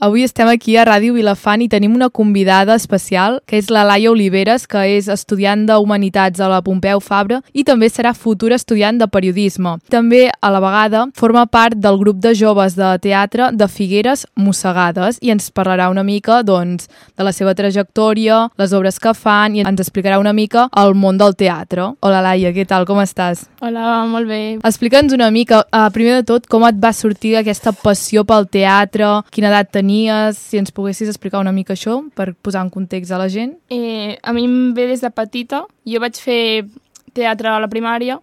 Avui estem aquí a Ràdio Vilafant i tenim una convidada especial, que és la Laia Oliveres, que és estudiant de Humanitats a la Pompeu Fabra i també serà futura estudiant de Periodisme. També, a la vegada, forma part del grup de joves de teatre de Figueres Mossegades i ens parlarà una mica, doncs, de la seva trajectòria, les obres que fan i ens explicarà una mica el món del teatre. Hola, Laia, què tal? Com estàs? Hola, molt bé. Explica'ns una mica, primer de tot, com et va sortir aquesta passió pel teatre, quina edat tenies, si ens poguessis explicar una mica això, per posar en context a la gent. A mi em ve des de petita. Jo vaig fer teatre a la primària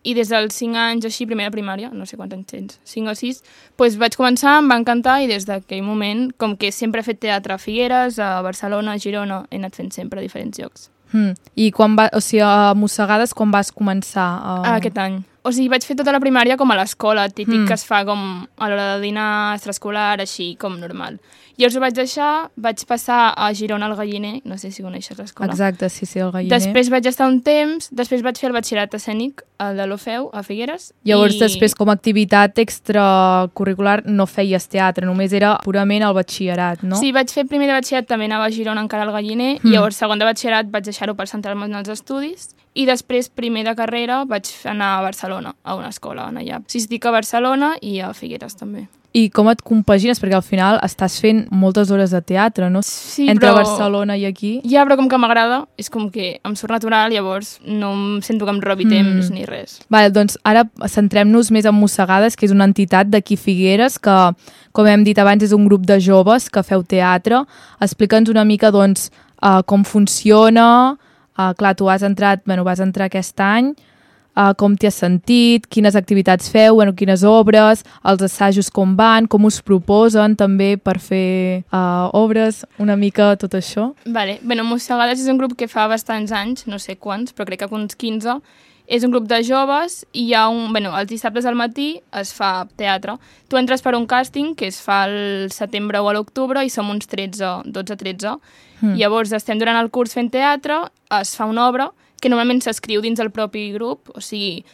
i des dels 5 anys, així, primera primària, no sé quants anys tens, 5 o 6, doncs vaig començar, em va encantar i des d'aquell moment, com que sempre he fet teatre a Figueres, a Barcelona, a Girona, he anat fent sempre a diferents llocs. I a Mossegades, quan vas començar? Aquest any. O sigui, vaig fer tota la primària com a l'escola, típic que es fa com a l'hora de dinar, extraescolar, així, com normal. Llavors ho vaig deixar, vaig passar a Girona al Galliner, no sé si coneixes l'escola. Exacte, sí, el Galliner. Després vaig estar un temps, després vaig fer el batxillerat escènic, el de l'Ofeu, a Figueres. Llavors, després, com a activitat extracurricular, no feies teatre, només era purament el batxillerat, no? Sí, vaig fer primer de batxillerat, també anava a Girona encara al Galliner, i llavors segon de batxillerat vaig deixar-ho per centrar-me en els estudis, i després, primer de carrera, vaig anar a Barcelona, a una escola, allà. Sí, estic a Barcelona i a Figueres, també. I com et compagines? Perquè al final estàs fent moltes hores de teatre, no? Sí, entre Barcelona i aquí. Ja, però com que m'agrada, és com que em surt natural, llavors no em sento que em robi temps ni res. Vale, doncs ara centrem-nos més en Mossegades, que és una entitat d'aquí Figueres, que, com hem dit abans, és un grup de joves que feu teatre. Explica'ns una mica, doncs, com funciona. Clar, tu vas entrar aquest any. Com t'hi has sentit, quines activitats feu, quines obres, els assajos com van, com us proposen també per fer obres, una mica tot això. Vale. Mossegades és un grup que fa bastants anys, no sé quants, però crec que uns 15. És un grup de joves i hi ha els dissabtes al matí es fa teatre. Tu entres per un càsting que es fa al setembre o a l'octubre i som uns 12-13. Llavors estem durant el curs fent teatre, es fa una obra que normalment s'escriu dins del propi grup, o sigui,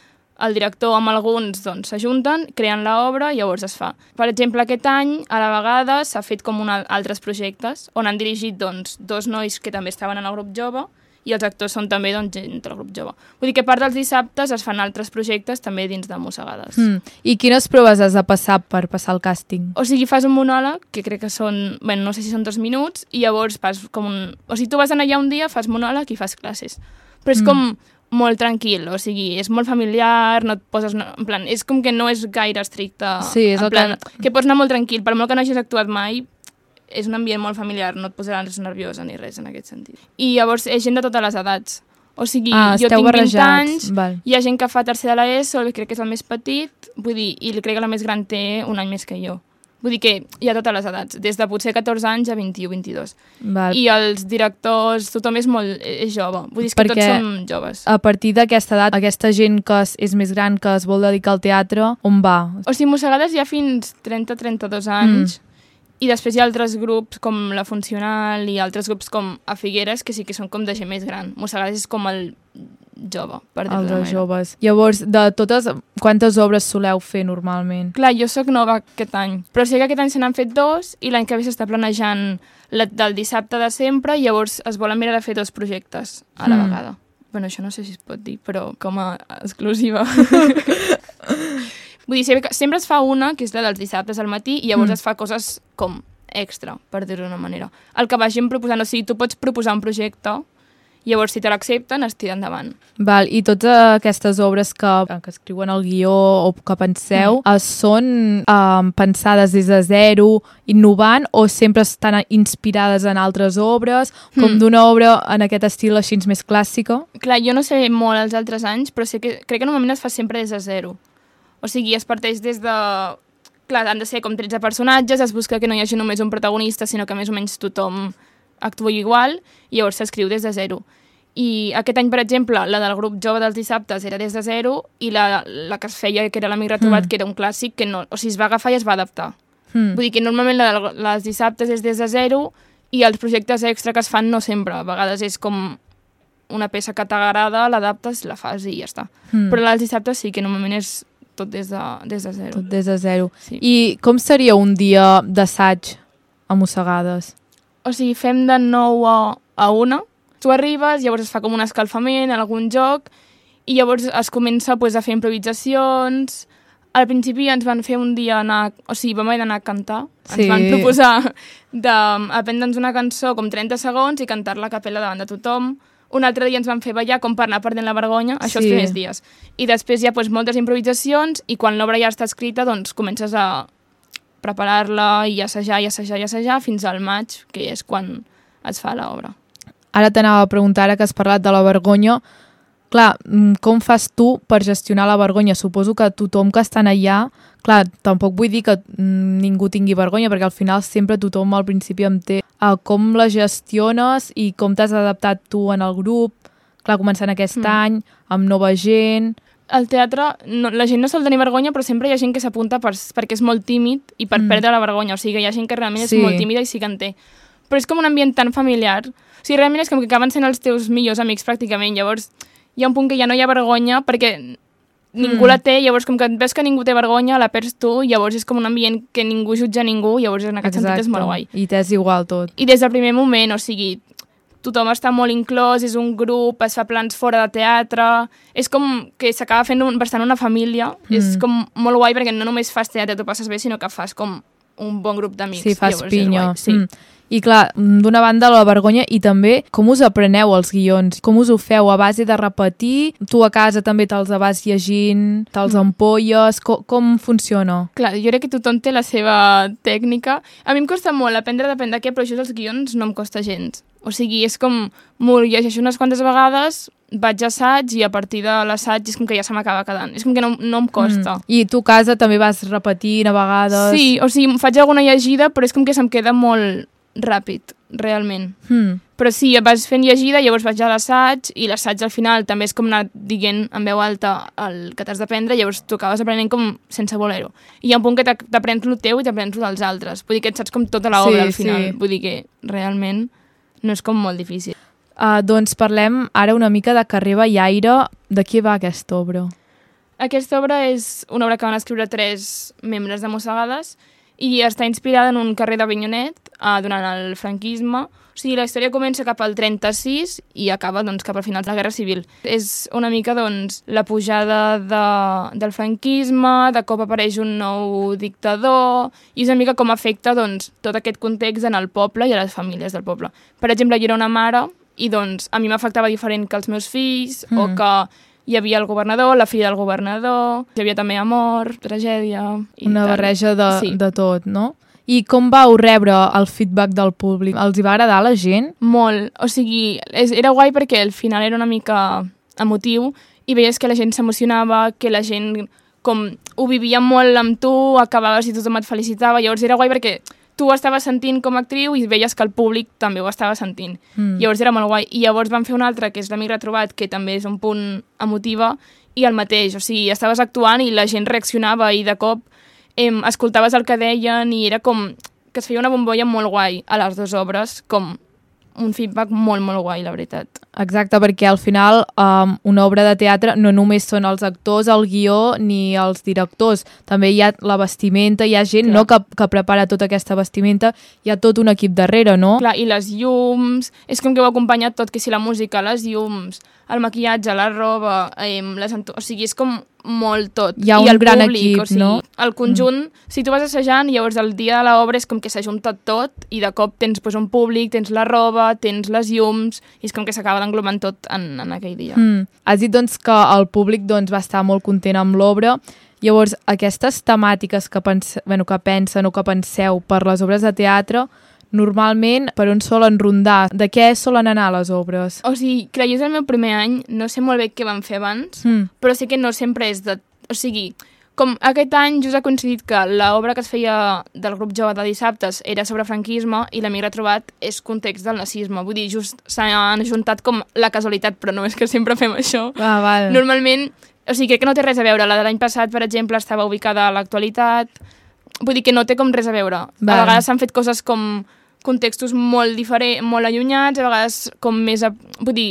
el director amb alguns s'ajunten, creen l'obra i llavors es fa. Per exemple, aquest any, a la vegada, s'ha fet com altres projectes on han dirigit 2 nois que també estaven en el grup jove i els actors són també gent del grup jove. Vull dir que a part dels dissabtes es fan altres projectes també dins de Mossegades. I quines proves has de passar per passar el càsting? O sigui, fas un monòleg, que crec que són, no sé si són 2 minuts, i llavors fas com O sigui, tu vas anar allà un dia, fas monòleg i fas classes. Però és com molt tranquil, o sigui, és molt familiar, no et poses... En plan, és com que no és gaire estricte. Sí, és en plan, que pots anar molt tranquil, per molt que no hagis actuat mai, és un ambient molt familiar, no et posaràs nerviosa ni res en aquest sentit. I llavors és gent de totes les edats. O sigui, jo tinc 20 anys, hi ha gent que fa tercer de l'ESO, crec que és el més petit, vull dir, i crec que la més gran té un any més que jo. Vull dir que hi ha totes les edats, des de potser 14 anys a 21-22. I els directors, tothom és jove. Vull dir que tots som joves. A partir d'aquesta edat, aquesta gent que és més gran, que es vol dedicar al teatre, on va? O sigui, Mossegades hi ha fins 30-32 anys, i després hi ha altres grups com la Funcional i altres grups com a Figueres, que sí que són com de gent més gran. Mossegades és com el jove, per dir-ho d'una manera. Joves. Llavors, de totes, quantes obres soleu fer normalment? Clar, jo sóc nova aquest any, però sé que aquest any se n'han fet 2 i l'any que ve s'està planejant del dissabte de sempre i llavors es volen mirar de fer 2 projectes a la vegada. Això no sé si es pot dir, però com a exclusiva. Vull dir, sempre es fa una, que és la dels dissabtes al matí, i llavors es fa coses com extra, per dir-ho d'una manera. El que vagin proposant, o sigui, tu pots proposar un projecte, llavors si te l'accepten es tira endavant. Val, i totes aquestes obres que escriuen el guió o que penseu són pensades des de zero, innovant, o sempre estan inspirades en altres obres, com d'una obra en aquest estil així més clàssica? Clar, jo no sé molt els altres anys, però crec que normalment es fa sempre des de zero. O sigui, es parteix des de... Clar, han de ser com 13 personatges, es busca que no hi hagi només un protagonista, sinó que més o menys tothom actua igual, i llavors s'escriu des de zero. I aquest any, per exemple, la del grup jove dels dissabtes era des de zero, i la que es feia, que era l'Amic Retrobat, que era un clàssic, que no, o sigui, es va agafar i es va adaptar. Vull dir que normalment la dels dissabtes és des de zero, i els projectes extra que es fan no sempre. A vegades és com una peça que t'agrada, l'adaptes, la fas i ja està. Però la dels dissabtes sí que normalment és tot des de zero. Tot des de zero. Sí. I com seria un dia d'assaig a mossegades? O sigui, fem de 9 a 1. Tu arribes, llavors es fa com un escalfament, algun joc, i llavors es comença pues, a fer improvisacions. Al principi ens van fer un dia anar... O sigui, vam haver d'anar a cantar. Sí. Ens van proposar d'aprendre'ns una cançó com 30 segons i cantar-la a capella davant de tothom. Un altre dia ens van fer ballar com per anar perdent la vergonya, això els primers dies. I després hi ha pues, moltes improvisacions i quan l'obra ja està escrita doncs comences a preparar-la i assajar fins al maig, que és quan es fa l'obra. Ara t'anava a preguntar, ara que has parlat de la vergonya, clar, com fas tu per gestionar la vergonya? Suposo que tothom que està allà, clar, tampoc vull dir que ningú tingui vergonya, perquè al final sempre tothom al principi em té. Com la gestiones i com t'has adaptat tu en el grup? Clar, començant aquest any, amb nova gent... Al teatre, la gent no sol tenir vergonya, però sempre hi ha gent que s'apunta perquè és molt tímid i per perdre la vergonya. O sigui, hi ha gent que realment és molt tímida i sí que en té. Però és com un ambient tan familiar. O sigui, realment és com que acaben sent els teus millors amics, pràcticament. Llavors, hi ha un punt que ja no hi ha vergonya perquè ningú la té, llavors com que ves que ningú té vergonya, la perds tu, llavors és com un ambient que ningú jutja ningú, llavors en aquest sentit és molt guai. I t'és igual tot. I des del primer moment, o sigui, tothom està molt inclòs, és un grup, es fa plans fora de teatre, és com que s'acaba fent bastant una família, és com molt guai perquè no només fas teatre, t'ho passes bé, sinó que fas com un bon grup d'amics. Sí, fas pinya. Sí. I clar, d'una banda la vergonya i també com us apreneu els guions, com us ho feu a base de repetir, tu a casa també te'ls vas llegint, te'ls ampolles, com funciona? Clar, jo crec que tothom té la seva tècnica. A mi em costa molt aprendre depèn de què, però això dels guions no em costa gens. O sigui, és com, m'ho llegeixo unes quantes vegades, vaig a assaig i a partir de l'assaig és com que ja se m'acaba quedant. És com que no em costa. I tu a casa també vas repetint a vegades? Sí, o sigui, faig alguna llegida, però és com que se'm queda molt ràpid, realment. Però sí, vas fent llegida, llavors vaig a l'assaig i l'assaig al final també és com anar dient en veu alta el que t'has d'aprendre, llavors tu acabes aprenent com sense voler-ho. I hi ha un punt que t'aprens el teu i t'aprens el dels altres. Vull dir que et saps com tota l'obra al final. Vull dir que realment no és com molt difícil. Doncs parlem ara una mica de Carrer Ballaire. De què va aquesta obra? Aquesta obra és una obra que van escriure 3 membres de Mossegades i està inspirada en un carrer d'Avinyonet durant el franquisme. O sigui, la història comença cap al 36 i acaba doncs, cap al final de la Guerra Civil. És una mica doncs, la pujada del franquisme, de cop apareix un nou dictador i és una mica com afecta doncs, tot aquest context en el poble i a les famílies del poble. Per exemple, jo era una mare i doncs, a mi m'afectava diferent que els meus fills o que hi havia el governador, la filla del governador, hi havia també amor, tragèdia... Una barreja de tot, no? I com vau rebre el feedback del públic? Els hi va agradar a la gent? Molt. O sigui, era guai perquè al final era una mica emotiu i veies que la gent s'emocionava, que la gent com ho vivia molt amb tu, acabaves i tothom et felicitava. Llavors era guai perquè tu ho estaves sentint com a actriu i veies que el públic també ho estava sentint. Llavors era molt guai. I llavors van fer un altre, que és l'Amic Retrobat, que també és un punt emotiva, i el mateix. O sigui, estaves actuant i la gent reaccionava i de cop escoltaves el que deien i era com que es feia una bombolla molt guai a les 2 obres, com un feedback molt, molt guai, la veritat. Exacte, perquè al final una obra de teatre no només són els actors, el guió ni els directors, també hi ha la vestimenta, hi ha gent que prepara tota aquesta vestimenta, hi ha tot un equip darrere, no? Clar, i les llums, és com que ho ha acompanyat tot, que si la música, les llums, el maquillatge, la roba, o sigui, és com molt tot. Hi ha un gran equip, o sigui, no? El conjunt, si tu vas assajant, llavors el dia de l'obra és com que s'ajunta tot i de cop tens un públic, tens la roba, tens les llums, i és com que s'acaba d'englobant tot en aquell dia. Has dit doncs, que el públic doncs, va estar molt content amb l'obra. Llavors, aquestes temàtiques que pensen o que penseu per les obres de teatre, normalment, per on solen rondar? De què solen anar les obres? O sigui, clar, jo és el meu primer any, no sé molt bé què van fer abans, però sí que no sempre és de... O sigui, com aquest any just ha coincidit que l'obra que es feia del grup jove de dissabtes era sobre franquisme i l'Amic Retrobat és context del nazisme. Vull dir, just s'han ajuntat com la casualitat, però no és que sempre fem això. Val. Normalment, o sigui, crec que no té res a veure. La de l'any passat, per exemple, estava ubicada a l'actualitat. Vull dir que no té com res a veure. A vegades s'han fet coses com contextos molt diferents, molt allunyats, a vegades com més... Vull dir,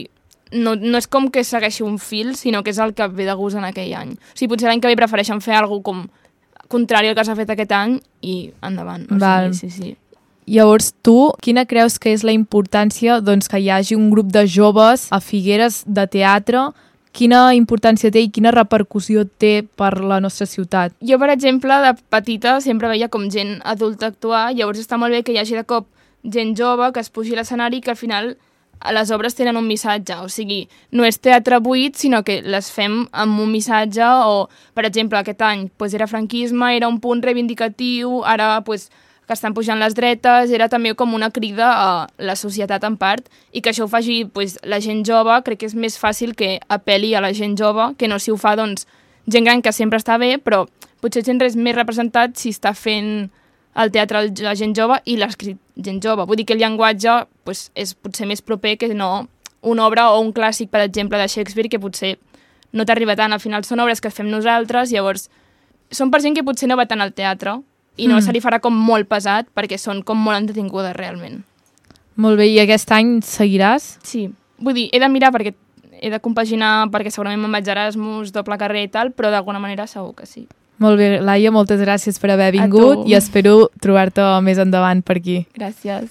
no és com que segueixi un fil, sinó que és el que ve de gust en aquell any. O sigui, potser l'any que ve prefereixen fer alguna cosa com contrari al que s'ha fet aquest any i endavant. Val. Sí. Llavors tu, quina creus que és la importància doncs, que hi hagi un grup de joves a Figueres de teatre? Quina importància té i quina repercussió té per la nostra ciutat? Jo, per exemple, de petita sempre veia com gent adulta actuar, llavors està molt bé que hi hagi de cop gent jove que es pugi a l'escenari i que al final les obres tenen un missatge, o sigui, no és teatre buit, sinó que les fem amb un missatge o, per exemple, aquest any era franquisme, era un punt reivindicatiu, ara que estan pujant les dretes, era també com una crida a la societat en part, i que això ho faci la gent jove, crec que és més fàcil que apel·li a la gent jove, que no si ho fa gent gran que sempre està bé, però potser gent res més representat si està fent el teatre la gent jove i l'escrit gent jove. Vull dir que el llenguatge és potser més proper que no una obra o un clàssic, per exemple, de Shakespeare, que potser no t'arriba tant. Al final són obres que fem nosaltres, llavors són per gent que potser no va tant al teatre i no se li farà com molt pesat perquè són com molt entretingudes realment. Molt bé, i aquest any seguiràs? Sí, vull dir, he de mirar perquè he de compaginar perquè segurament me'n vaig a Erasmus, doble carrera i tal, però d'alguna manera segur que sí. Molt bé, Laia, moltes gràcies per haver vingut i espero trobar-te més endavant per aquí. Gràcies.